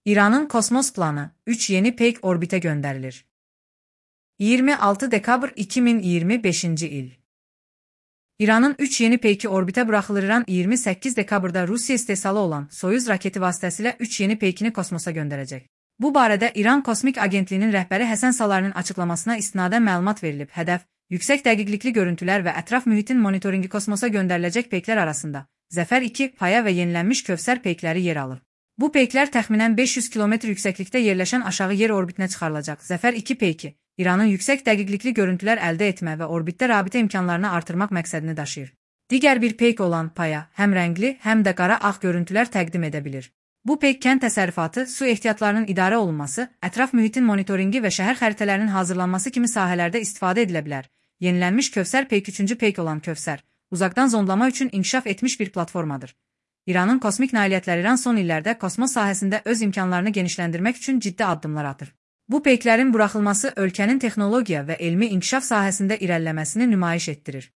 İranın kosmos planı, 3 yeni peyk orbite gönderilir. 26 dekabr 2025 il. İranın 3 yeni peyki orbite bırakılır. İran 28 dekabrda Rusya istehsalı olan Soyuz raketi vasıtasıyla 3 yeni peykini kosmosa gönderecek. Bu barədə İran Kosmik Agentliyinin rəhbəri Həsən Salarinin açıklamasına istinadən məlumat verilib. Hədəf, yüksək dəqiqlikli görüntülər və ətraf mühitin monitoringi. Kosmosa göndəriləcək peyklər arasında Zəfər 2, Paya və yenilənmiş Kövsər peykləri yer alır. Bu peyklər təxminən 500 kilometr yüksəklikdə yerləşən aşağı yer orbitinə çıxarılacaq. Zəfər 2 peyki İranın yüksək dəqiqlikli görüntülər əldə etmə və orbitdə rabitə imkanlarını artırmaq məqsədini daşıyır. Digər bir peyk olan Paya həm rəngli, həm də qara-ağ görüntülər təqdim edə bilir. Bu peyk kənd təsərrüfatı, su ehtiyatlarının idarə olunması, ətraf mühitin monitoringi və şəhər xəritələrinin hazırlanması kimi sahələrdə istifadə edilə bilər. Yenilənmiş Kövsər peyk 3-cü peyk olan Kövsər, uzaqdan zonlama üçün inkişaf etmiş bir platformadır. İranın kosmik nailiyyətləri İran son illərdə kosmos sahəsində öz imkanlarını genişləndirmək üçün ciddi addımlar atır. Bu peyklərin buraxılması ölkənin texnologiya və elmi inkişaf sahəsində irəliləməsini nümayiş etdirir.